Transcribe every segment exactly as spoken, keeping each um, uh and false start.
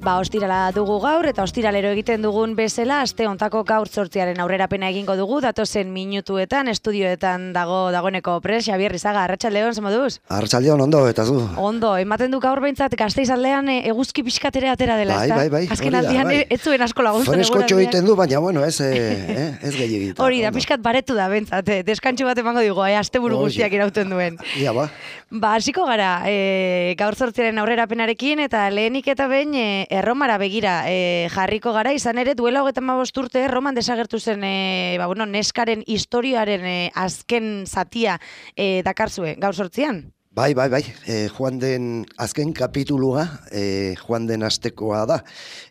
Ba, ostirala dugu gaur, eta ostiralero egiten dugun bezala, aste hontako gaur zortziaren aurrerapena egingo dugu, datozen minutuetan, estudioetan dago dagoeneko pres, Xabier Rizaga, arratsaldeon, zer moduz? Arratsaldeon, ondo, eta zu? Ondo, ematen du gaur behintzat Gasteizaldean e, eguzki pixkatere atera dela, bai, ezta? bai, bai, azken aldian bai. ez zuen asko laguntzen Freskotxo egiten du, baina, bueno, ez, eh, ez gehiagita. Hori da, pixkat baretu da, bentsat, eh, deskantxo bat emango digo, eh, asteburu guztiak irauten duen. Ia, ba. Ba, hasiko gara, e, gaur zortziaren aurrerapenarekin, eta lehenik eta behin e, Erromara begira e, jarriko gara, izan ere duela hogeita hamabost urte Erroman desagertu zen e, ba, bueno, neskaren historiaren e, azken zatia e, dakarzue, gaur zortzian? Bai, bai, bai, e, joan den azken kapitulua, e, joan den astekoa da.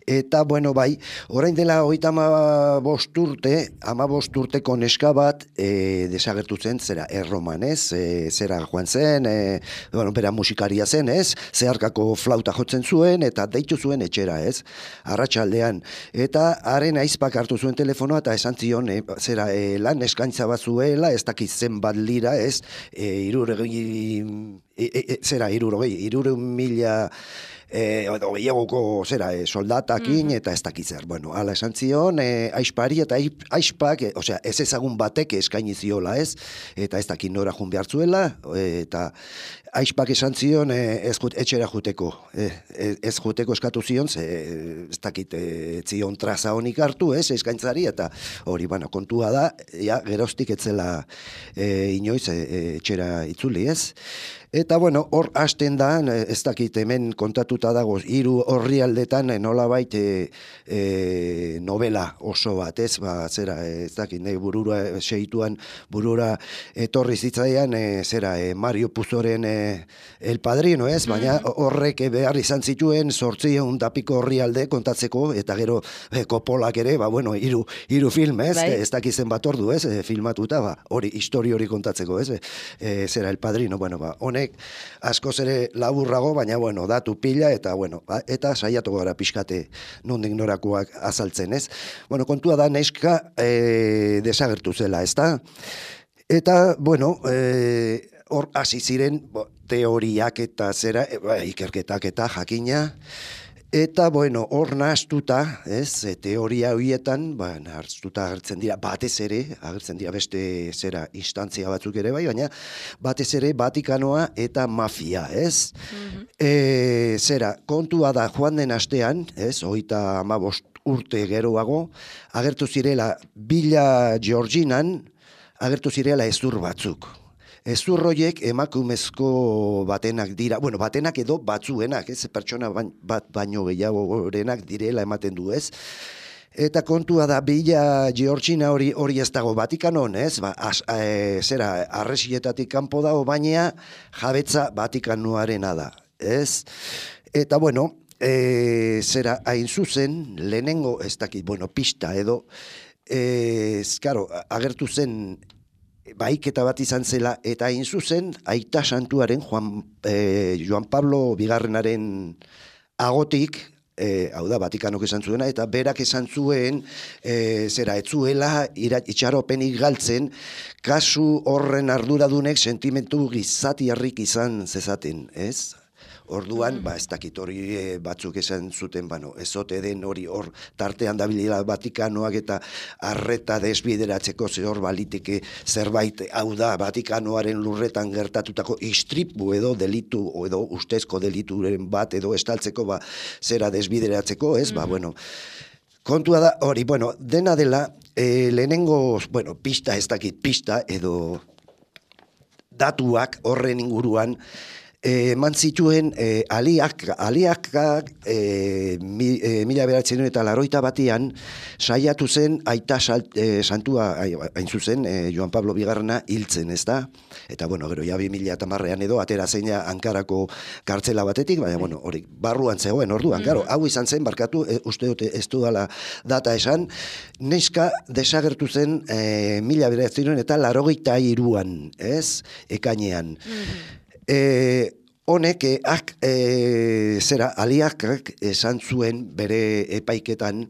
Eta, bueno, bai, orain dela hogeita hamabost urte, hamabost urteko neska bat e, desagertu zen, zera, Erroman, ez? E, zera joan zen, e, bueno, bera musikaria zen, ez? Zeharkako flauta jotzen zuen, eta deitu zuen etxera, ez? Arratsaldean. Eta haren aizpak hartu zuen telefonoa, eta esan zion, e, zera, e, lan eskaintza bat zuela, ez dakit zenbat lira, ez? E, iruregi... E, e, e, zera, irurogei, irure mila e, gehiagoko zera, e, soldatakin mm-hmm. eta ez dakitzer. Bueno, ala esan zion, e, aispari eta aispak, e, osea, ez ezagun batek eskaini ziola, ez? Eta ez dakit nora jun behar zuela, e, eta aispak esan zion, e, ez jut, etxera juteko. E, ez juteko eskatu zion, ze, ez dakit, e, zion traza honik hartu, ez, eskaintzari, eta hori, bueno, kontua da, ja, geroztik etzela e, inoiz e, etxera itzuli, ez? Eta, bueno, hor hasten da, ez dakit hemen kontatuta dago, hiru orrialdetan nolabait e, e, novela oso bat, ez, ba, zera, ez dakit, nahi burura, seituan burura etorri zitzaian, e, zera, e, Mario Puzoren e, El Padrino, ez, baina horrek behar izan zituen zortziehun tapiko orrialde kontatzeko, eta gero e, Coppolak ere, ba, bueno, hiru, hiru film, ez, bai. Ez dakit zenbat ordu, ez, e, filmatuta, ba, hori, histori hori kontatzeko, ez, e, zera, El Padrino, bueno, ba, honek askoz ere laburrago, baina, bueno, datu pila, eta, bueno, eta saiatu gara pixkate nondik norakoak azaltzen, ez? Bueno, kontua da, neska e, desagertu zela, ez da? Eta, bueno, e, hor hasi ziren bo, teoriak eta zera, e, ba, ikerketak eta jakina, eta, bueno, hor nahaztuta, ez, teoria horietan, ba, nahaztuta agertzen dira, batez ere, agertzen dira beste zera instantzia batzuk ere bai, baina batez ere Vatikanoa eta mafia, ez? Mm-hmm. E, zera, kontua da joan den astean, ez, hogeita hamabost urte geroago, agertu zirela Villa Georginan, agertu zirela hezur batzuk. Hezur horiek emakumezko batenak dira, bueno, batenak edo batzuenak, ez, pertsona bat baino gehiagorenak direla ematen du, ez? Eta kontua da, Villa Georgina hori hori ez dago Vatikanon, ez? Ba, as, e, zera, arresietatik kanpo dago, baina jabetza Vatikanoarena da, ez? Eta, bueno, e, zera, hain zuzen, lehenengo, ez dakit, bueno, pista edo, ez, karo, agertu zen, baiketa bat izan zela, eta hain zuzen, aita santuaren, Juan, eh, Joan Pablo bigarrenaren agotik, eh, hau da, Vatikanok esan zuena, eta berak esan zuen, eh, zera, etzuela, itxaropenik galtzen, kasu horren arduradunek sentimentu gizatiarrik izan zezaten, ez? Orduan, ba, ez dakit hori e, batzuk esan zuten, bano, ezote den hori hor tartean dabilila Vatikanoak eta arreta desbideratzeko ze hor baliteke zerbait, hau da, Vatikanoaren lurretan gertatutako istripu edo delitu, edo ustezko delituren bat edo estaltzeko, ba, zera desbideratzeko, ez, ba, bueno, kontua da, hori, bueno, dena dela, e, lehenengo, bueno, pista, ez dakit, pista, edo datuak horren inguruan, eman zituen e, aliak, aliakak e, mi, e, mila beratzen eta laroita batian saiatu zen aita salt, e, santua hain zuzen e, Joan Pablo bigarrena hiltzen, ez da? Eta, bueno, gero, ja bi mila tamarrean edo, atera zeina Ankarako kartzela batetik, baina, bueno, hori, barruan zegoen, orduan, gero, hau izan zen, barkatu, e, uste dute ez dudala data esan, neska desagertu zen e, mila beratzen eta larogeita hiruan, ez? Ekainean. E, honek, eh, ak, e, zera, aliakak esan zuen bere epaiketan,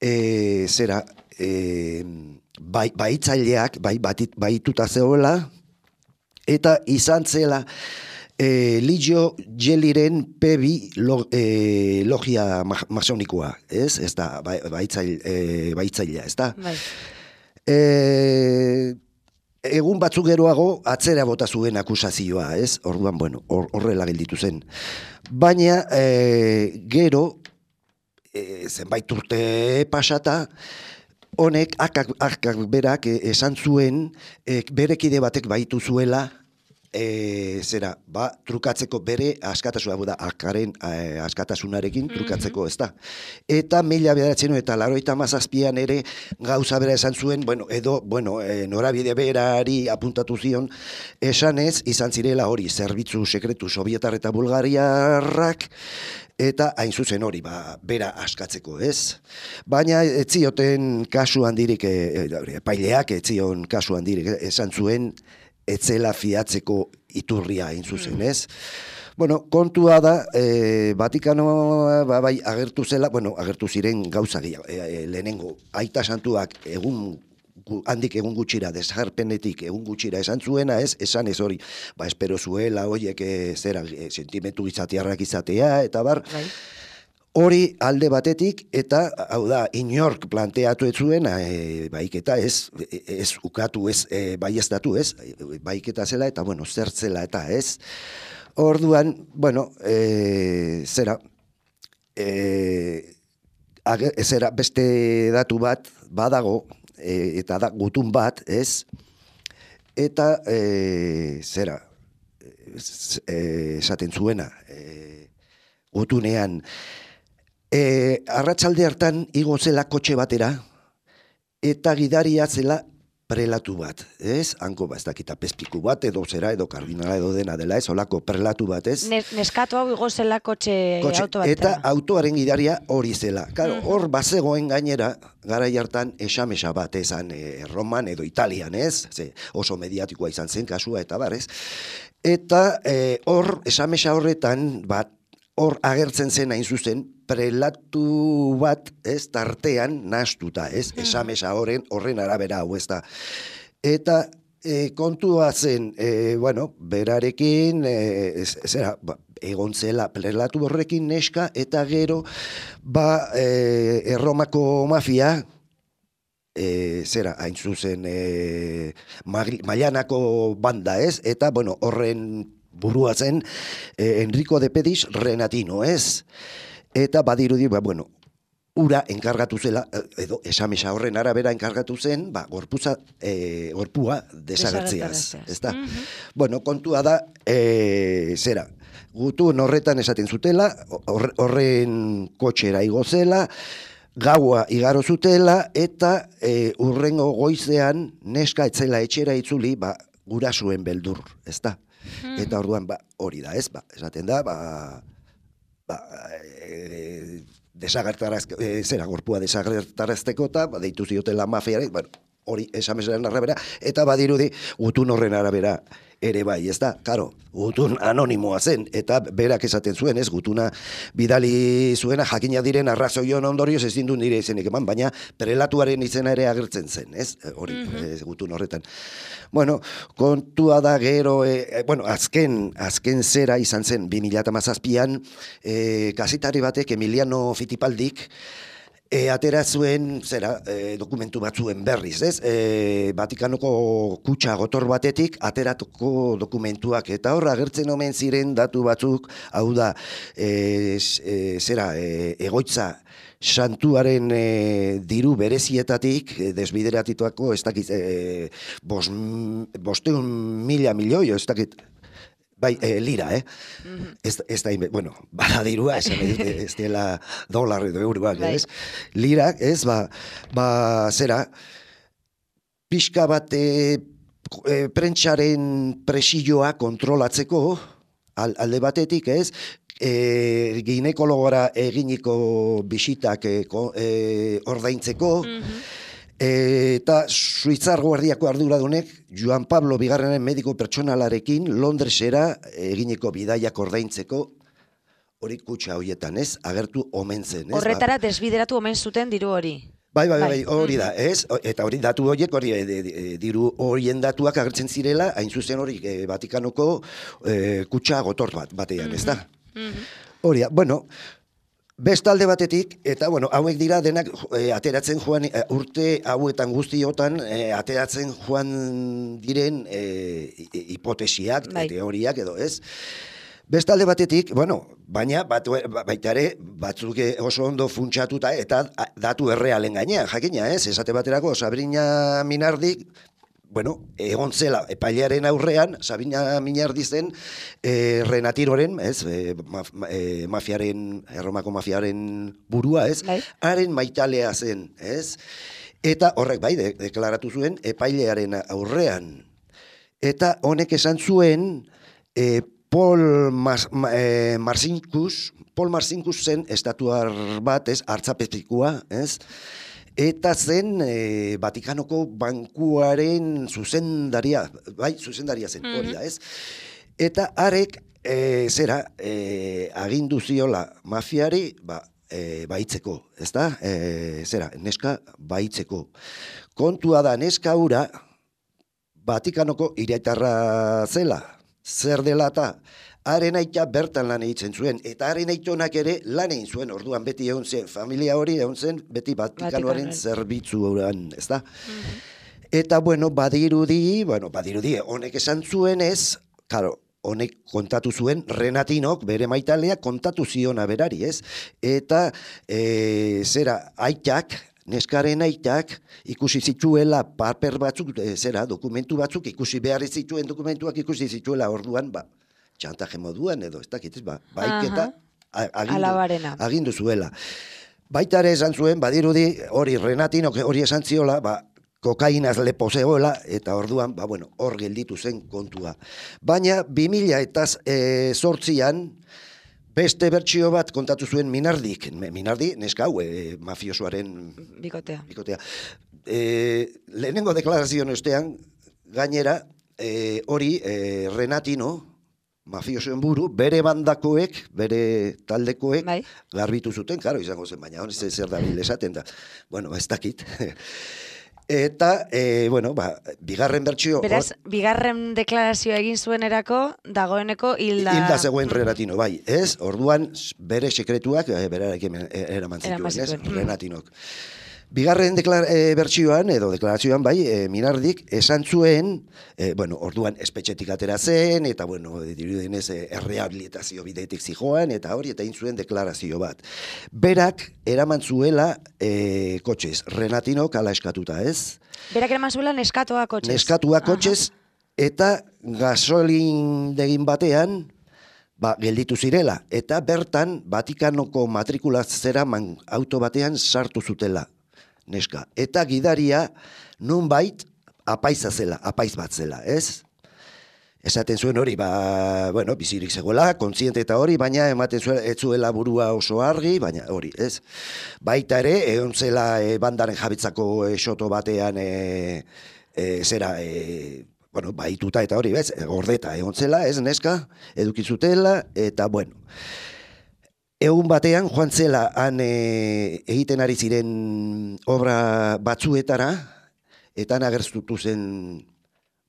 e, zera, e, bai, baitzaileak, bai, baituta zegoela, eta izan zela, E, Ligio Gelliren P bi lo, e, logia ma, masonikoa, ez? Ez da, ba, baitzail, e, baitzailea, ez da? Bai. E, egun batzuk geroago atzera bota zuen akusazioa, ez? Orduan, bueno, hor, horrela gelditu zen. Baina, e, gero, e, zenbait urte pasata, honek, akak, akak berak esan zuen, e, bere kide batek baitu zuela, E, zera, ba, trukatzeko bere askatasuna, da, akaren e, askatasunarekin trukatzeko, ez da. Eta mila bederatzen eta laroita mazazpian ere gauza bera esan zuen, bueno, edo, bueno, e, norabide berari apuntatu zion, esanez, izan zirela hori, zerbitzu sekretu sovietar eta bulgariarrak, eta hain zuzen hori, ba, bera askatzeko, ez? Baina ez zioten kasu handirik, e, e, paileak ez zion kasu handirik, esan zuen, etzela fiatzeko iturria hain zuzen, ez? Bueno, kontua da, e, Vatikano ba, bai agertu zela, bueno, agertu ziren gauza gehiago, e, e, lehenengo, aita santuak egun handik egun gutxira, desjarpenetik egun gutxira esan zuena, ez? Esan ez hori, ba, espero zuela, hoiek e, zera, e, sentimentu izatearrak izatea, eta bar, bai. Hori alde batetik, eta, hau da, inork planteatu ez zuen, e, baiketa ez, ez ukatu ez, e, baiestatu ez, baiketa zela, eta, bueno, zertzela eta ez. Orduan, bueno, e, zera, e, age, zera, beste datu bat, badago, e, eta da, gutun bat, ez, eta, e, zera, e, esaten zuena, e, gutunean, E, arratsalde hartan igo zela kotxe batera, eta gidaria zela prelatu bat, ez? Hanko, ba, ez dakita pezpiku bat, edo zera, edo kardinala edo dena dela, ez? Olako prelatu bat, ez? Neskatu hau igo zela kotxe, kotxe auto batera. Eta autoaren gidaria hori zela. Claro, hor bazegoen gainera, garai hartan esamesa bat ezan e, Roman edo Italian, ez? Ze, oso mediatikoa izan zen kasua, eta bar, ez? Eta hor, e, esamesa horretan, bat, hor agertzen zen hain zuzen, prelatu bat, ez, tartean nahastuta, ez, esamesa horren, horren arabera hau, ez da. Eta e, kontua zen, e, bueno, berarekin, e, zera, ba, egon zela prelatu horrekin neska, eta gero, ba, e, Erromako mafia, e, zera, hain zuzen, e, Mailanako banda, ez, eta, bueno, horren burua zen eh, Enrico de Pedis Renatino, ez? Eta badirudi, ba, bueno, ura enkargatu zela, edo esamesa horren arabera enkargatu zen, ba, gorpuza, eh, gorpua desagertziaz, ez da? Mm -hmm. Bueno, kontua da, eh, zera, gutun horretan esaten zutela, horren kotxera igo zela, gaua igaro zutela, eta eh, urrengo goizean neska etzela etxera itzuli, ba, gurasuen beldur, ez da? Eta orduan, ba, hori da, ez, ba, esaten da, ba, ba, e, desagertarazko, e, zera, gorpua desagertarazteko eta, ba, deitu ziotela mafiare, bueno, hori esamesaren arabera, eta badirudi, gutun horren arabera ere bai, ez da, karo, gutun anonimoa zen, eta berak esaten zuen, ez, gutuna bidali zuena, jakina diren arrazoion ondorioz ez dindu nire izenik eman, baina prelatuaren izena ere agertzen zen, ez, hori, mm -hmm. ez, gutun horretan. Bueno, kontua da gero, e, bueno, azken, azken zera izan zen, bi mila hamazazpian, e, kazetari batek, Emiliano Fittipaldik, E, atera zuen, zera, e, dokumentu batzuen berriz, ez? E, Vatikanoko kutxa gotor batetik ateratuko dokumentuak, eta horra agertzen omen ziren datu batzuk, hau da, e, e, zera, e, egoitza santuaren e, diru berezietatik, e, desbideratituako, ez dakit, e, bos, bosteun mila milioi, ez dakit, bai, e, lira, eh? Mm-hmm. Ez, ez da, bueno, bada dirua, esan ez dela dolar edo euroak, bai. Ez? Lira, ez, ba, ba, zera, pixka bat e, e, prentxaren presioa kontrolatzeko, al, alde batetik, ez, e, ginekologora eginiko bisitak e, e, ordaintzeko, mm-hmm. Eta Suitzar Guardiako arduradunek Joan Pablo bigarrenen mediko pertsonalarekin Londresera eginiko bidaiak ordaintzeko hori kutxa horietan, ez? Agertu omen zen, ez? Horretara desbideratu omen zuten diru hori. Bai, bai, bai, hori da, ez? Eta hori datu horiek, hori diru horien datuak agertzen zirela, hain zuzen hori Vatikanoko kutxa gotor bat batean, ez da? Hori da, bueno, bestalde batetik, eta bueno, hauek dira denak ateratzen joan, urte hauetan guztiotan, ateratzen joan diren hipotesiak, teoriak edo, ez? Bestalde batetik, bueno, baina batu, baita ere batzuk oso ondo funtsatuta eta datu errealen gainean, jakina, ez? Esate baterako Sabrina Minardik, bueno, egon zela epailearen aurrean, Sabrina Minardi zen eh, Renatiroren, ez? Eh, maf, eh, mafiaren, Erromako mafiaren burua, ez? Bai. Haren maitalea zen, ez? Eta horrek bai, de, deklaratu zuen epailearen aurrean. Eta honek esan zuen, eh, Paul Mas, eh, Marcinkus, Paul Marcinkus zen estatuar bat, ez, hartzapezpikua, ez, eta zen eh, Vatikanoko bankuaren zuzendaria, bai, zuzendaria zen, hori da, ez. Eta harek, eh, zera, eh, agindu ziola mafiari, ba, eh, baitzeko, ez da, eh, zera, neska baitzeko. Kontua da, neska hura, Vatikanoko iriaitarra zela, zer dela eta haren aita bertan lan egiten zuen, eta haren aitonak ere lan egin zuen, orduan beti egon zen, familia hori egon zen, beti Vatikanoaren zerbitzu horan, ez da? Mm-hmm. Eta, bueno, badirudi, bueno, badirudi, honek esan zuen ez, karo, honek kontatu zuen, Renatinok, bere maitalea, kontatu ziona berari, ez? Eta, e, zera, aitak, neskaren aitak ikusi zituela paper batzuk, e, zera, dokumentu batzuk, ikusi behar zituen dokumentuak ikusi zituela orduan, ba, txantaje moduan edo, ez dakit, ba, baiketa agindu, agindu zuela. Baita ere esan zuen, badirudi, hori Renatinok hori esan ziola, ba, kokainaz lepo zegoela, eta orduan, ba, bueno, hor gelditu zen kontua. Baina, bi mila eta zortzian, beste bertsio bat kontatu zuen Minardik. Minardi, neska hau, e, mafiosoaren bikotea. bikotea. E, lehenengo deklarazioan ostean, gainera, e, hori e, Renatino, mafiosoen buru, bere bandakoek, bere taldekoek, bai, garbitu zuten, karo, izango zen, baina hori zer da bil esaten da. Bueno, ez dakit. Eta, e, bueno, ba, bigarren bertsio... Beraz, or... bigarren deklarazioa egin zuen erako, dagoeneko hilda... Hilda zegoen Renatino, bai, ez? Orduan, bere sekretuak, e, berarekin eraman zituen, ez? Renatinok. Bigarren deklar, e, bertsioan, edo deklarazioan, bai, e, Minardik, esan zuen, e, bueno, orduan espetxetik atera zen, eta, bueno, dirudenez, e, errehabilitazio bideetik zijoan, eta hori, eta egin zuen deklarazio bat. Berak, eraman zuela e, kotxez, Renatinok ala eskatuta, ez? Berak eraman zuela neskatoa kotxez. Neskatoa kotxez, eta gasolin degin batean, ba, gelditu zirela, eta bertan, Vatikanoko matrikulaz zeraman auto batean sartu zutela. Neska. Eta gidaria nunbait apaiza zela, apaiz bat zela, ez? Esaten zuen hori, ba, bueno, bizirik zegoela, kontziente eta hori, baina ematen zuen, ez zuela burua oso argi, baina hori, ez? Baita ere, egon zela e, bandaren jabitzako e, soto batean, e, e, zera, e, bueno, baituta eta hori, bez? Gordeta egon zela, ez, neska, edukizutela, eta, bueno... Egun batean, joan zela, han e, egiten ari ziren obra batzuetara, eta han agertutu zen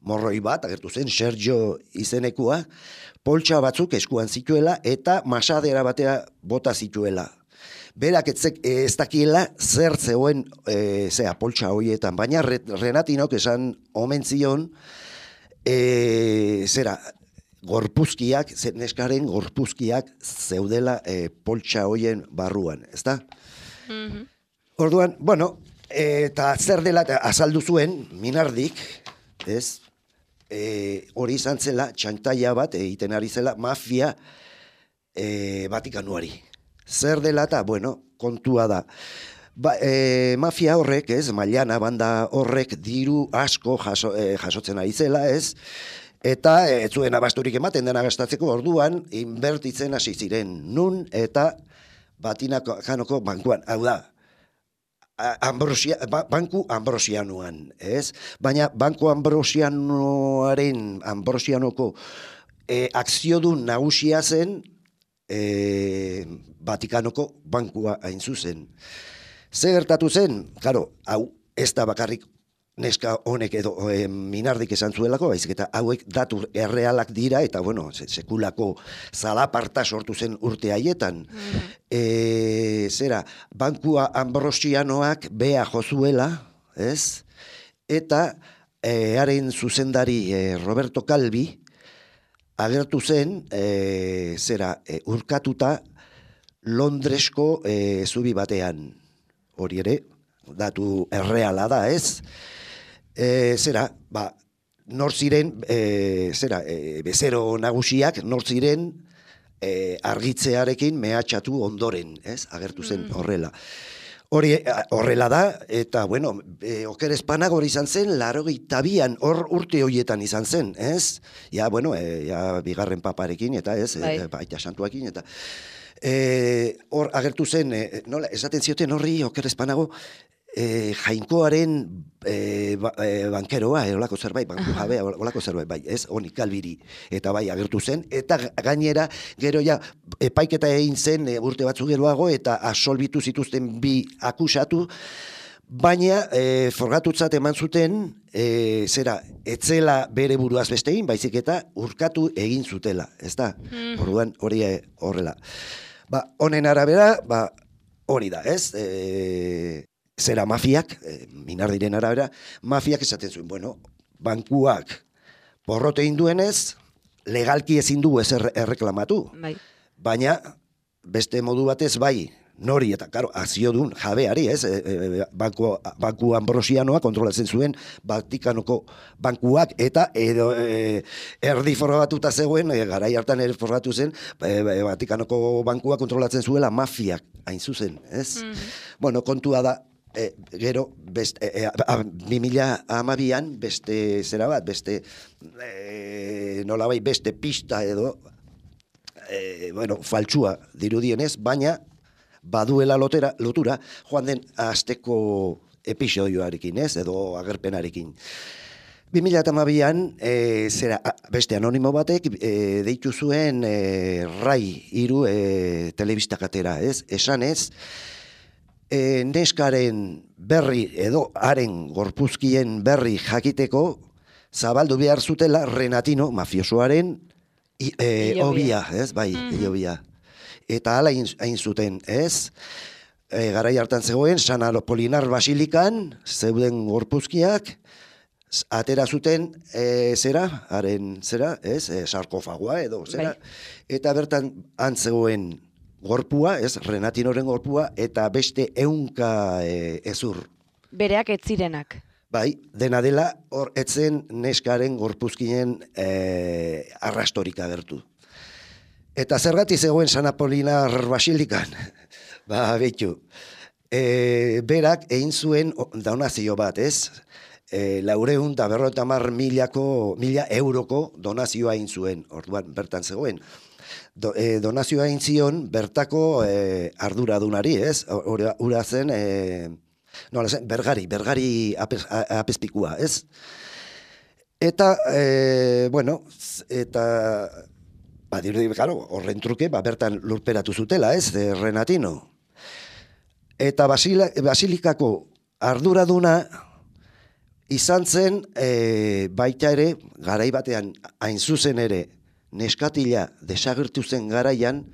morroi bat, agertu zen Sergio izenekua, poltsa batzuk eskuan zituela, eta masadera batea bota zituela. Berak etzek, ez dakiela zer zegoen e, zea, poltsa horietan, baina Renatinok esan omen zion, e, zera, gorpuzkiak, neskaren gorpuzkiak zeudela e, poltsa hoien barruan, ezta? Mm-hmm. Orduan, bueno, eta zer dela azaldu zuen, Minardik, ez? E, hori izan zela, txantaia bat, egiten ari zela, mafia e, Vatikanuari. Zer dela eta, bueno, kontua da. Ba, e, mafia horrek, ez, Mailana banda horrek diru asko jaso, e, jasotzen ari zela, ez? Eta ez zuen abasturik ematen dena gastatzeko orduan, inbertitzen hasi ziren nun eta Vatikanoko bankuan. Hau da, Ambrosia, ba, banku Ambrosianuan, ez? Baina banku Ambrosianuaren, Ambrosianoko e, akziodun nagusia zen e, Vatikanoko bankua hain zuzen. Ze gertatu zen, claro, hau ez da bakarrik neska honek edo e, Minardik esan zuelako, baizik eta hauek datu errealak dira, eta bueno, se, sekulako zalaparta sortu zen urte haietan. Mm. E, zera, bankua Ambrosianoak bea jozuela, ez? Eta e, haren zuzendari e, Roberto Calvi agertu zen, e, zera, e, urkatuta Londresko e, zubi batean. Hori ere, datu erreala da, ez? E, zera, ba, nor ziren, e, zera, e, bezero nagusiak, nor ziren e, argitzearekin mehatxatu ondoren, ez? Agertu zen horrela. Hori horrela da, eta, bueno, e, oker espanak hori izan zen, larogeita bian, hor urte horietan izan zen, ez? Ja, bueno, e, ja, bigarren paparekin, eta ez, bai. E, baita santuakin, eta hor e, agertu zen, e, nola, esaten zioten horri, oker espanago, E, jainkoaren e, ba, e, bankeroa, e, olako zerbait, banku jabea, olako zerbait, bai, ez, honi Calviri, eta bai, agertu zen, eta gainera, gero ja, epaiketa egin zen e, urte batzu geroago, eta absolbitu zituzten bi akusatu, baina e, forgatutzat eman zuten, e, zera, etzela bere buruaz bestein, baizik eta urkatu egin zutela, ez da? Mm. Orduan, hori horrela. Ba, honen arabera, ba, hori da, ez? E, Zera mafiak, eh, Minardiren arabera, mafiak esaten zuen, bueno, bankuak porrote induenez, legalki ezin du ez erreklamatu. Bai. Baina, beste modu batez bai, nori eta, karo, aziodun jabeari, ez? E, e, banku, banku Ambrosianoa kontrolatzen zuen Vatikanoko bankuak, eta edo e, erdi forrabatuta zegoen, e, garai hartan ere forratu zen, e, Vatikanoko bankua kontrolatzen zuela mafiak, hain zuzen, ez? Mm-hmm. Bueno, kontua da, E, gero, best, e, e, bi mila hamabian, beste zera bat, beste, e, nolabait beste pista edo, e, bueno, faltsua dirudienez, baina baduela lotera, lotura, joan den asteko episodioarekin, ez, edo agerpenarekin. bi mila hamabian, e, zera, beste anonimo batek, e, deitu zuen e, Rai hiru e, telebistakatera, ez, esanez, E, neskaren berri edo haren gorpuzkien berri jakiteko zabaldu behar zutela Renatino mafiosoaren e, obia, ez, bai, mm-hmm. obia. Eta hala hain zuten, ez, e, garai hartan zegoen, San Apolinar Basilikan zeuden gorpuzkiak, atera zuten e, zera, haren zera, ez, e, sarkofagoa edo, zera, bai. Eta bertan antzegoen gorpua, ez, Renatinoren gorpua, eta beste ehunka e, ezur. Bereak ez zirenak. Bai, dena dela, hor etzen neskaren gorpuzkinen e, arrastorik agertu. Eta zergatik zegoen San Apolinar Basilikan? Ba, behitu. E, berak egin zuen donazio bat, ez? E, laureun da berrota mar milako, mila euroko donazioa egin zuen, orduan bertan zegoen. Do, e, donazioa egin zion bertako e, arduradunari, ez? Ura zen, e, nola zen, bergari, bergari apes, apespikua, ez? Eta, e, bueno, eta, ba, dirudi, claro, horren truke, ba, bertan lurperatu zutela, ez, e, Renatino. Eta basila, basilikako arduraduna izan zen, e, baita ere, garai batean, hain zuzen ere, neskatila desagertu zen garaian,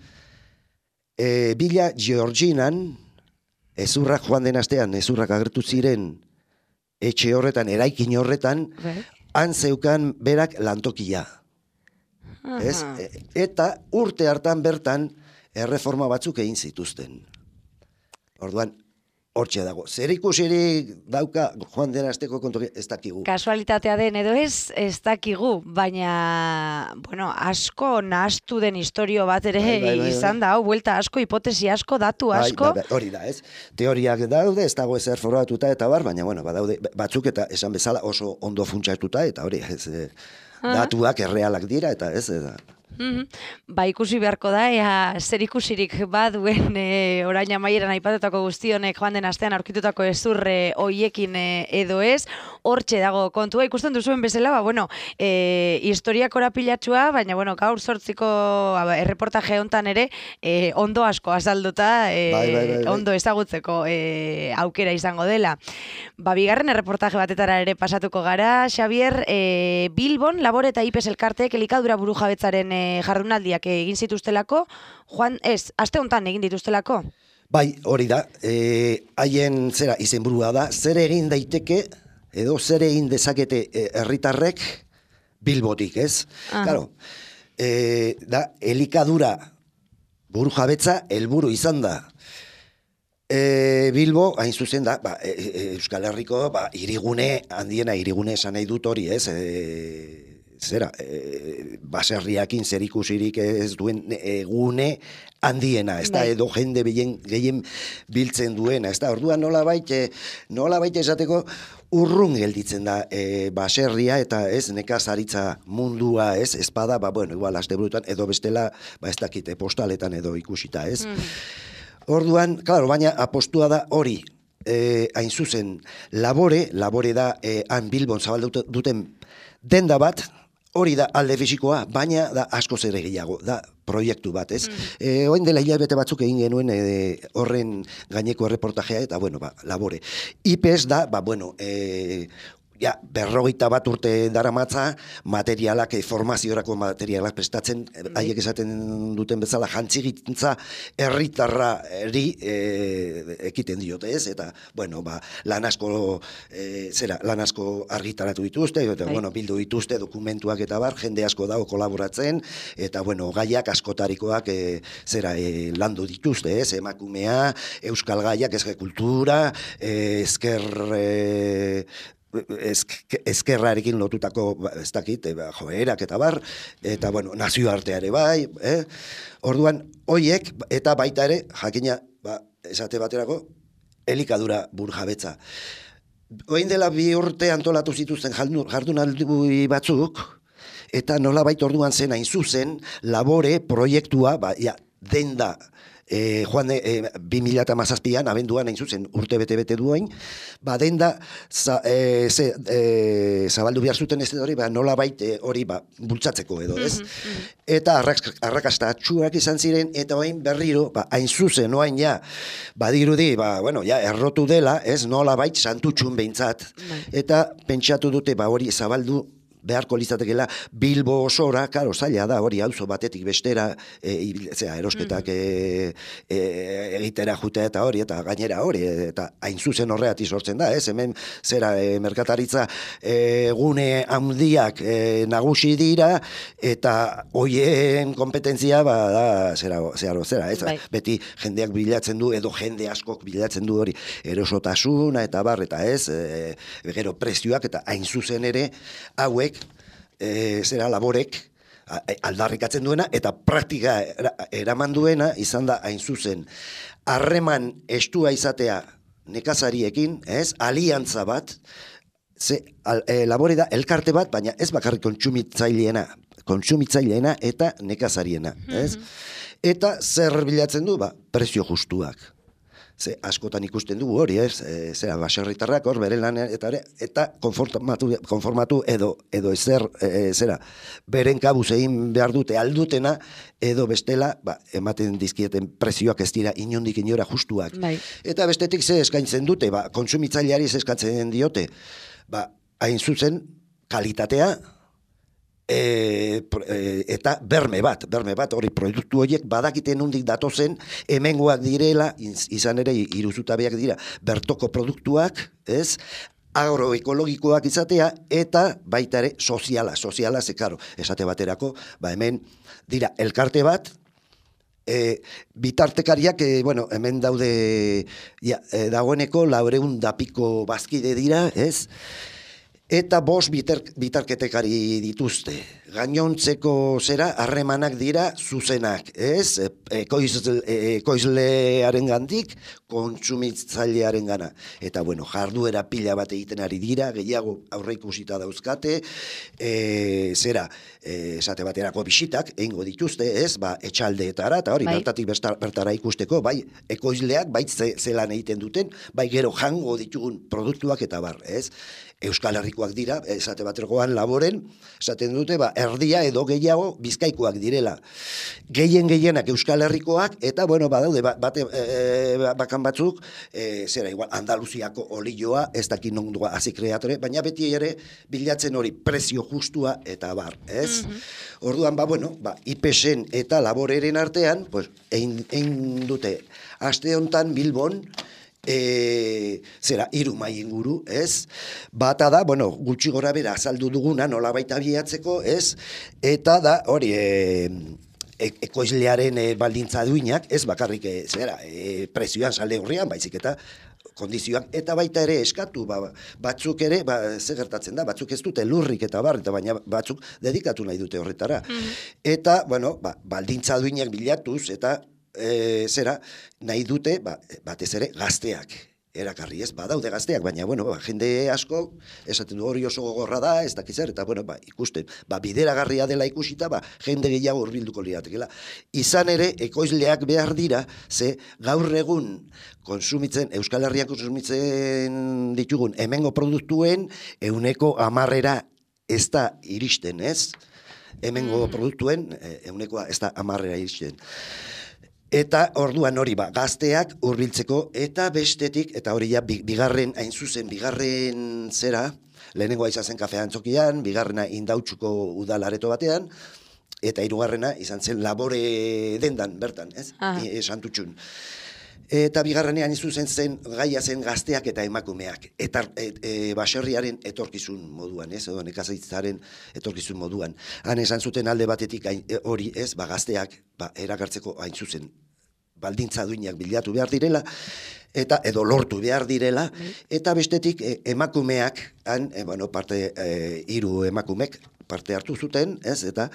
e, Bila Georginan, ezurrak joan den astean, ezurrak agertu ziren etxe horretan, eraikin horretan, han zeukan berak lantokia. Ez? E, eta urte hartan bertan erreforma batzuk egin zituzten. Orduan, hortxe dago. Zer ikusirik dauka joan den asteko kontu ez dakigu. Kasualitatea den edo ez, ez dakigu, baina, bueno, asko nahastu den historio bat ere bai, bai, bai, izan da, hau, buelta asko, hipotesi asko, datu asko. Bai, bai, hori da, ez? Teoriak daude, ez dago ezer foratuta eta bar, baina, bueno, badaude batzuk eta esan bezala oso ondo funtsatuta eta hori, ez, datuak errealak dira eta ez, eta... Mm-hmm. Ba, ikusi beharko da, ea zer ikusirik baduen e, orain amaieran aipatutako guztionek joan den astean aurkitutako ezurre hoiekin e, edo ez. hortxe dago kontua, ikusten duzuen bezala, ba, bueno, e, historia korapilatxua, baina, bueno, gaur sortziko erreportaje hontan ere, e, ondo asko azalduta, e, bai, bai, bai, bai. ondo ezagutzeko e, aukera izango dela. Ba, bigarren erreportaje batetara ere pasatuko gara, Xabier, e, Bilbon, Labore eta Ipes elkarteek elikadura burujabetzaren e, jardunaldiak egin zituztelako, Juan, ez, aste hontan egin dituztelako? Bai, hori da, e, haien zera izenburua da, zer egin daiteke, edo zer egin dezakete herritarrek Bilbotik, ez? Ah. Claro, e, da, elikadura burujabetza helburu izan da. E, Bilbo, hain zuzen da, ba, e, e, Euskal Herriko ba, irigune, handiena irigune esan nahi dut hori, ez? E, zera, e, baserriakin zer ikusirik ez duen egune handiena, ez da, edo jende gehien, gehien biltzen duena, ez da, orduan nola baita, nola baita esateko urrun gelditzen da e, baserria eta ez nekazaritza mundua, ez, espada, ba, bueno, igual, asteburutan, edo bestela, ba, ez dakite, postaletan edo ikusita, ez. Mm. Orduan, klaro, baina apostua da hori, e, hain zuzen, Labore, Labore da, e, han Bilbon zabaldu duten denda bat, hori da alde fisikoa, baina da asko zer gehiago, da proiektu bat, ez? Mm. E, oin dela hilabete batzuk egin genuen e, horren gaineko erreportajea, eta bueno, ba, Labore. Ipes da, ba, bueno, e, ja, berrogeita bat urte daramatza, materialak, formaziorako materialak prestatzen, mm. haiek esaten duten bezala, jantzigintza herritarrari e, ekiten diote, ez? Eta, bueno, ba, lan asko, e, zera, lan asko argitaratu dituzte, eta, bueno, bildu dituzte dokumentuak eta bar, jende asko dago kolaboratzen, eta, bueno, gaiak askotarikoak, e, zera, e, landu dituzte, ez? Emakumea, euskal gaiak, ezke kultura, e, ezker... E, ezkerrarekin lotutako, ez dakit, joerak eta bar, eta, bueno, nazioarteare bai, eh? Orduan, hoiek, eta baita ere, jakina, ba, esate baterako, elikadura burujabetza. Oin dela bi urte antolatu zituzten jardunaldi batzuk, eta nola baita orduan zen hain zuzen, Labore proiektua, ba, ja, denda, E, joan e, bi mila hamazazpian, abenduan hain zuzen urte bete-bete duen, ba denda za, e, ze, e, zabaldu behar zuten ez hori, ba, nola baite hori ba, bultzatzeko edo, ez? Mm-hmm. Eta arrakasta atxuak izan ziren, eta hain berriro, ba, hain zuzen, oain ja, badirudi, ba, bueno, ja, errotu dela, ez, nola bait santutxun behintzat, mm. eta pentsatu dute, ba, hori zabaldu, beharko lizatekela Bilbo osora, karo, zaila da, hori auzo batetik bestera, e, zera, erosketak e, e, egitera jutea eta hori, eta gainera hori, eta hain zuzen horreati sortzen da, ez, hemen, zera, e, merkataritza e, gune handiak e, nagusi dira, eta hoien kompetentzia, ba, da, zera, zera, zera, ez, bai. Beti jendeak bilatzen du, edo jende askok bilatzen du hori, erosotasuna, eta bar, eta ez, e, gero prezioak, eta hain zuzen ere, hauek, E, zera Laborek aldarrikatzen duena eta praktika eraman duena izan da hain zuzen harreman estua izatea nekazariekin, ez, aliantza bat, ze, al, e, Labore da elkarte bat, baina ez bakarrik kontsumitzaileena, kontsumitzaileena eta nekazariena, ez? Mm-hmm. Eta zer bilatzen du, ba, prezio justuak. Ze askotan ikusten dugu hori, ez? E, zera, baserritarrak hor bere lan eta eta konformatu, konformatu edo edo ezer, e, zera, beren kabuz egin behar dute aldutena edo bestela, ba, ematen dizkieten prezioak ez dira inondik inora justuak. Bai. Eta bestetik ze eskaintzen dute, ba, kontsumitzaileari ze eskatzen diote, ba, hain zuzen kalitatea, E, e, eta berme bat, berme bat, hori produktu horiek badakiten nondik datozen, hemengoak direla, izan ere iruzutabeak dira, bertoko produktuak, ez, agroekologikoak izatea, eta baita ere soziala, soziala, ze karo, esate baterako, ba hemen dira elkarte bat, E, bitartekariak, e, bueno, hemen daude, ja, e, dagoeneko, laureun dapiko bazkide dira, ez, eta bost bitarketekari dituzte. Gainontzeko zera harremanak dira zuzenak, ez? Ekoizlearen gandik, kontsumitzailearen gana. Eta, bueno, jarduera pila bat egiten ari dira, gehiago aurreikusita dauzkate, e, zera, e, esate baterako bisitak, egingo dituzte, ez? Ba, etxaldeetara, eta hori, bai. bertatik bertara ikusteko, bai, ekoizleak, bai, zelan egiten duten, bai, gero jango ditugun produktuak eta bar, ez? Euskal Herrikoak dira, esate baterkoan laboren, esaten dute, ba, erdia edo gehiago bizkaikoak direla. Gehien gehienak Euskal Herrikoak, eta, bueno, badaude, bate, e, bakan batzuk, e, zera, igual, Andaluziako olioa, ez dakit nondua hasi kreatore, baina beti ere bilatzen hori prezio justua eta bar, ez? Mm-hmm. Orduan, ba, bueno, ba, I P S en eta laboreren artean, pues, egin, egin dute, aste hontan Bilbon, E, zera, hiru mai inguru, ez? Bata da, bueno, gutxi gora bera azaldu duguna, nola baita bilatzeko, ez? Eta da, hori, e, e, ekoizlearen e, baldintza duinak, ez bakarrik, e, zera, e, prezioan salde horrean, baizik eta kondizioak, eta baita ere eskatu, ba, batzuk ere, ba, ze gertatzen da, batzuk ez dute lurrik eta bar, eta baina batzuk dedikatu nahi dute horretara. Mm-hmm. Eta, bueno, ba, baldintza duinak bilatuz, eta E, zera, nahi dute, ba, batez ere, gazteak erakarri, ez, badaude gazteak, baina, bueno, ba, jende asko, esaten du hori oso gogorra da, ez dakizar, eta, bueno, ba, ikusten, ba, bideragarria dela ikusita, ba, jende gehiago hurbilduko liatekela. Izan ere, ekoizleak behar dira, ze gaur egun konsumitzen, Euskal Herrian konsumitzen ditugun, hemengo produktuen, euneko amarrera ez da iristen, ez? Hemengo mm. produktuen, euneko ez da amarrera iristen. Eta orduan hori ba, gazteak hurbiltzeko eta bestetik, eta hori ja bigarren, hain zuzen, bigarren zera, lehenengoa izan zen kafea antzokian, bigarrena Indautxuko udalareto batean, eta hirugarrena izan zen labore dendan, bertan, ez? E, Santutxun. Eta bigarrenean izuzen zen gaia zen gazteak eta emakumeak, eta e, e, baserriaren etorkizun moduan, ez? Edo nekazaritzaren etorkizun moduan. Han esan zuten alde batetik hori, ez? Ba, gazteak ba, erakartzeko hain zuzen baldintza duinak bilatu behar direla, eta edo lortu behar direla, eta bestetik e, emakumeak, han, e, bueno, parte, e, hiru emakumek parte hartu zuten, ez? Eta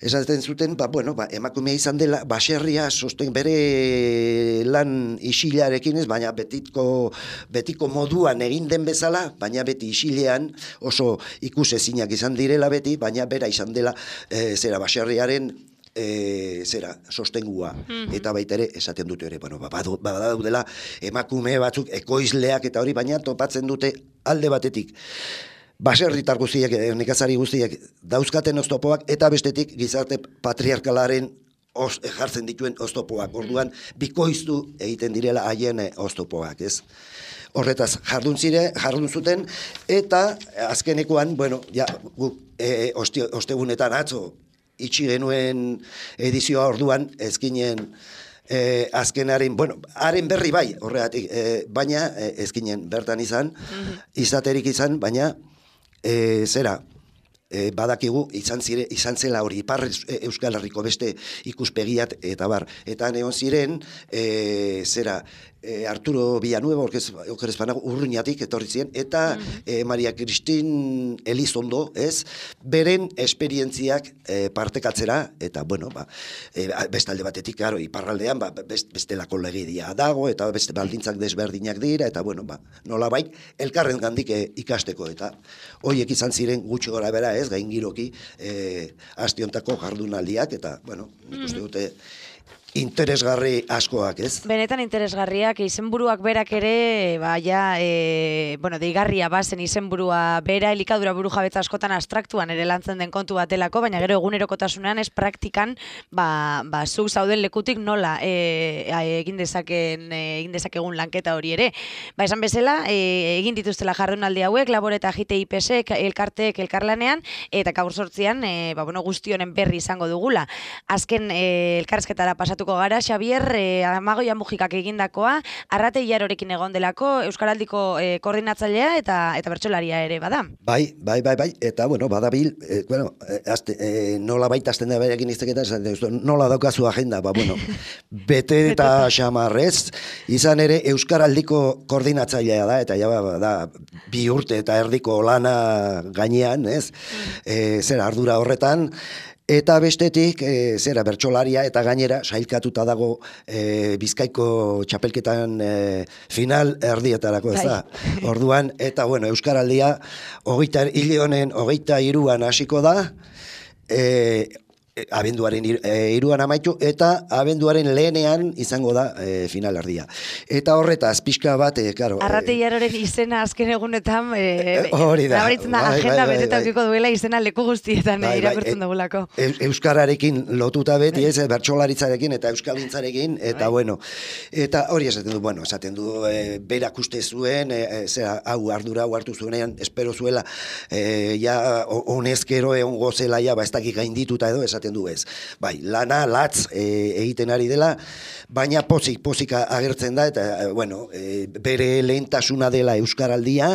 esaten zuten, ba, bueno, ba, emakumea izan dela, baserria sosten bere lan isilarekin ez, baina betiko, betiko moduan egin den bezala, baina beti isilean oso ikusezinak izan direla beti, baina bera izan dela, e, zera, baserriaren, E, zera, sostengua, mm-hmm. eta baita ere esaten dute hori, bueno, badaudela emakume batzuk, ekoizleak eta hori, baina topatzen dute alde batetik baserritar guztiak, nekazari guztiak dauzkaten oztopoak, eta bestetik gizarte patriarkalaren os, jartzen dituen oztopoak, orduan bikoiztu egiten direla haien oztopoak, ez? Horretaz jardun zire, jardun zuten, eta azkenekoan, bueno, ja, gu, e, oste, ostegunetan atzo itxi genuen edizioa orduan, ezkinen eh, azkenaren, bueno, haren berri bai, horregatik, eh, baina eh, ezkinen bertan izan, mm-hmm. izaterik izan, baina eh, zera, eh, badakigu izan zire, izan zela hori, Ipar Euskal Herriko beste ikuspegiat eta bar, eta neon ziren, eh, zera, E, Arturo Villanueva, okerezpanago, urruñatik etorri ziren, eta mm-hmm. e, Maria Cristin Elizondo, ez, beren esperientziak e, partekatzera, eta, bueno, ba, e, bestalde batetik, karo, iparraldean, ba, best, bestelako legidia dago, eta beste baldintzak desberdinak dira, eta, bueno, ba, nola bai, elkarren gandik e, ikasteko, eta hoiek izan ziren gutxi gora bera, ez, gaingiroki, e, astiontako jardunaldiak, eta, bueno, nik uste dute, interesgarri askoak, ez? Benetan interesgarriak, izenburuak berak ere, baia, e, bueno, deigarria bazen izenburua bera, elikadura buru jabetza askotan abstraktuan ere lantzen den kontu batelako, baina gero egunerokotasunean ez praktikan, ba, ba zuk zauden lekutik nola e, egin dezaken, egin dezakegun lanketa hori ere. Ba, esan bezala, e, egin dituztela jardunaldi hauek, Labor eta J T I P S, elkarteek elkarlanean, eta gaur sortzian, e, ba, bueno, guzti honen berri izango dugula. Azken e, elkarrizketara pasatu zentratuko gara, Xabier, eh, Amagoia Mujikak egindakoa, Arrate Iarorekin egon delako, Euskaraldiko eh, koordinatzailea eta eta bertsolaria ere bada. Bai, bai, bai, bai, eta bueno, badabil, eh, bueno, eh, azte, eh, nola baita azten da berekin izteketan, nola daukazu agenda, ba, bueno, bete eta xamarrez, izan ere Euskaraldiko koordinatzailea da, eta ja, ba, da, bi urte eta erdiko lana gainean, ez, e, zera ardura horretan, eta bestetik, e, zera bertsolaria eta gainera sailkatuta dago e, Bizkaiko txapelketan e, final erdietarako, ez da. Orduan, eta bueno, Euskaraldia hogeita hile honen hogeita hiruan hasiko da, e, abenduaren hiruan amaitu, eta abenduaren lehenean izango da e, final erdia. Eta horretaz, pixka bat, e, karo... Arrate Iaroren izena azken egunetan, e, hori da. Nabaritzen da, Bai, agenda bai, beteta bai, ukiko duela izena leku guztietan bai, bai, irakurtzen dugulako. E, Euskararekin lotuta beti, ez, bertsolaritzarekin eta euskalgintzarekin, eta bai. Bueno, eta hori esaten du, bueno, esaten du, e, berak uste zuen, e, zera, hau ardura, hau hartu zuenean, espero zuela, e, ja, honezkero egon gozela, ja, ba, ez dakik gaindituta edo, esaten du ez. Bai, lana, latz e, egiten ari dela, baina pozik, pozik agertzen da, eta, e, bueno, e, bere lehentasuna dela Euskaraldia,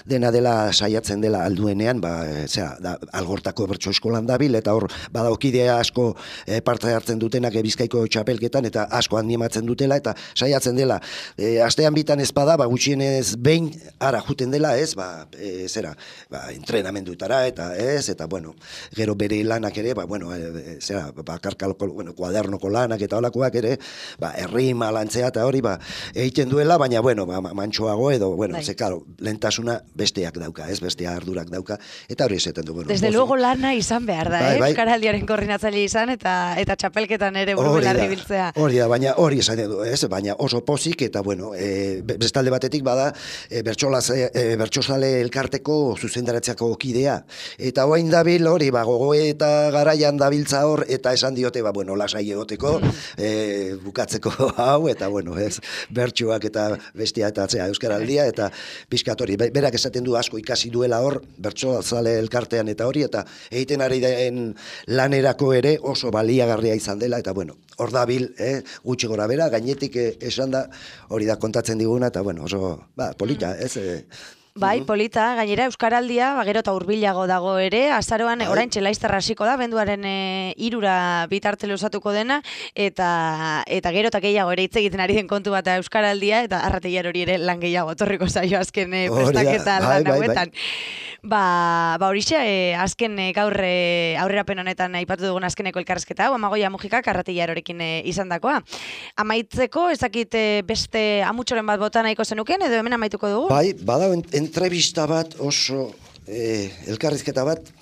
dena dela saiatzen dela alduenean, ba, e, zera, da, Algortako bertso eskolan dabil, eta hor, badaukidea asko e, parte hartzen dutenak e, Bizkaiko txapelketan, eta asko animatzen dutela, eta saiatzen dela, e, astean bitan ez bada, ba, gutxienez behin ara juten dela, ez, ba, e, zera, ba, entrenamenduetara, eta ez, eta, bueno, gero bere lanak ere, ba, bueno, e, zera, bakarkalko, bueno, kuadernoko lanak eta holakoak ere, ba, errima lantzea eta hori, ba, egiten duela, baina, bueno, ba, mantxoago edo, bueno, ze, claro, lentasuna besteak dauka, ez, bestea ardurak dauka, eta hori esaten du, bueno. Desde luego lana izan behar da, bai, eh? bai. Euskaraldiaren koordinatzaile izan, eta eta txapelketan ere buru belarri biltzea. Hori da, baina hori esaten du, ez, baina oso pozik, eta, bueno, e, bestalde batetik bada, e, bertsolaz, e, bertsozale elkarteko zuzendaratzeako kidea, eta oain dabil hori, ba, gogoe eta garaian dabiltza hor, eta esan diote, ba, bueno, lasai egoteko, e, bukatzeko hau, eta, bueno, ez, bertsuak eta bestia eta atzea Euskaraldia, eta pixkatori, berak esaten du asko ikasi duela hor, bertsozale elkartean eta hori, eta egiten ari den lanerako ere oso baliagarria izan dela, eta, bueno, hor dabil, eh, gutxi gora bera, gainetik eh, esan da, hori da kontatzen diguna, eta, bueno, oso, ba, polita, ez, eh, Bai, polita, gainera Euskaraldia, ba, gero eta hurbilago dago ere, azaroan bai. Orain txelaiztarra hasiko da, benduaren e, irura bitarte luzatuko dena, eta eta gero eta gehiago ere hitz egiten ari den kontu bat Euskaraldia, eta Arrate Iaro hori ere lan gehiago etorriko zaio azken e, prestaketa lan bai, hauetan. Bai, bai. Ba, ba horixe, e, azken e, gaur e, aurrerapen honetan aipatu dugun azkeneko elkarrezketa, hau Amagoia Mujikak Arrate Iarorekin e, izan dakoa. Amaitzeko, ez dakit e, beste amutxoren bat bota nahiko zenuken, edo hemen amaituko dugu? Bai, bada entrevista bat oso eh, elkarrizketa bat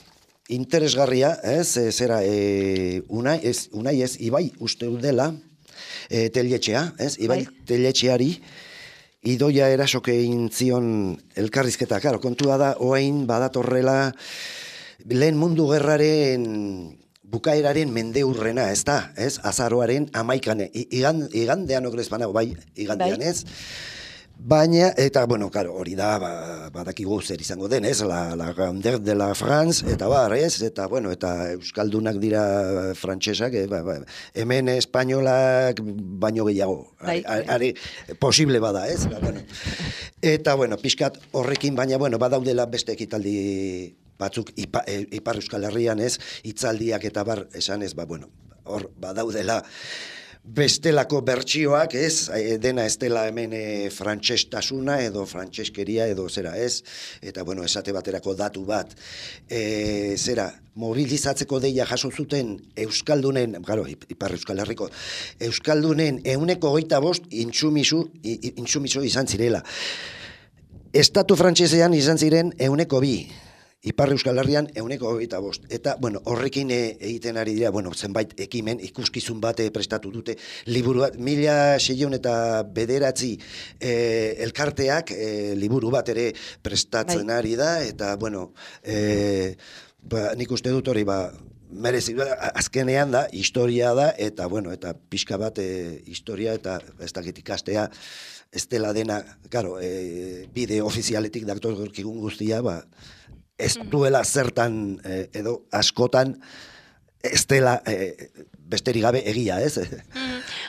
interesgarria, ez, e, zera, e, unai, ez, unai ez, Ibai uste dela, e, teletxea, ez, Ibai bai. Teletxeari, idoia erasoke egin zion elkarrizketa, karo, kontua da, oain badatorrela lehen mundu gerraren bukaeraren mendeurrena, ez da, ez, azaroaren amaikane, igan, igandean okrez banago, bai, igandean bai. Ez, baina, eta, bueno, karo, hori da, ba, badakigu zer izango den, ez, la, la grandeur de la France, eta bar, ez, eta, bueno, eta euskaldunak dira frantsesak, eh, ba, ba, hemen espainolak baino gehiago, ari, ari, posible bada, ez, ba, bueno. Eta, bueno, pixkat horrekin, baina, bueno, badaudela beste ekitaldi batzuk ipa, e, Ipar Euskal Herrian, ez, hitzaldiak eta bar, esan ez, ba, bueno, hor badaudela bestelako bertsioak, ez, dena ez dela hemen e, frantsestasuna edo frantseskeria edo zera, ez, eta, bueno, esate baterako datu bat, e, zera, mobilizatzeko deia jaso zuten Euskaldunen, claro, Ipar Euskal Herriko, Euskaldunen ehuneko hogeita bost intsumisu, intsumisu izan zirela. Estatu frantsesean izan ziren ehuneko bi. Ipar Euskal Herrian ehuneko hogeita bost. Eta, bueno, horrekin e, egiten ari dira, bueno, zenbait ekimen, ikuskizun bate prestatu dute, liburu bat, mila seiehun eta bederatzi e, elkarteak e, liburu bat ere prestatzen bai. Ari da, eta, bueno, e, ba, nik uste dut hori, ba, merezi, azkenean da, historia da, eta, bueno, eta pixka bat e, historia, eta ez dakit ikastea, ez dela dena, claro, e, bide ofizialetik datorkigun guztia, ba, ez duela zertan eh, edo askotan ez dela eh, besterik gabe egia, ez?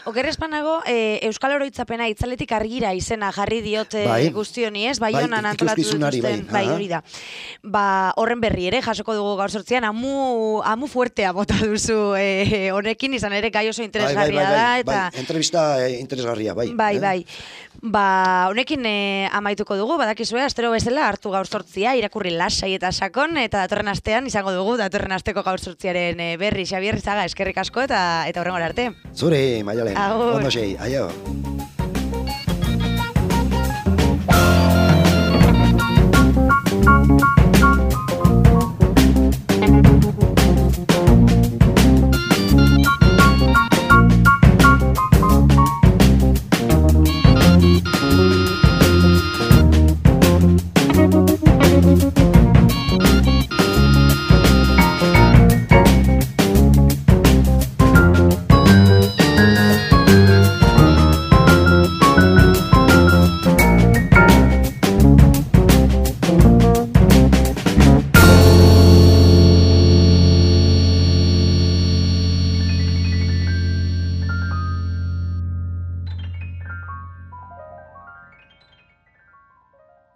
Okerrezpanago, e, Euskal Oroitzapena itzaletik argira izena jarri diote bai. guzti honi, ez? Bai, Bai, honan antolatu ikuskizunari, dituzten, bai. bai, hori da. Ba, horren berri ere, jasoko dugu gaur sortzian, amu, amu fuertea bota duzu e, honekin, izan ere gai oso interesgarria bai, bai, bai, da, bai, eta... bai, entrevista eh, interesgarria, bai. Bai, eh? bai. Ba, honekin e, amaituko dugu, badakizue, astero bezala hartu gaur sortzia, irakurri lasai eta sakon, eta datorren astean izango dugu, datorren asteko gaur sortziaren e, berri, Xabier Izaga, eskerrik asko, eta eta horrengora arte. Zure, Maialen, Agur. ondo sei, aio.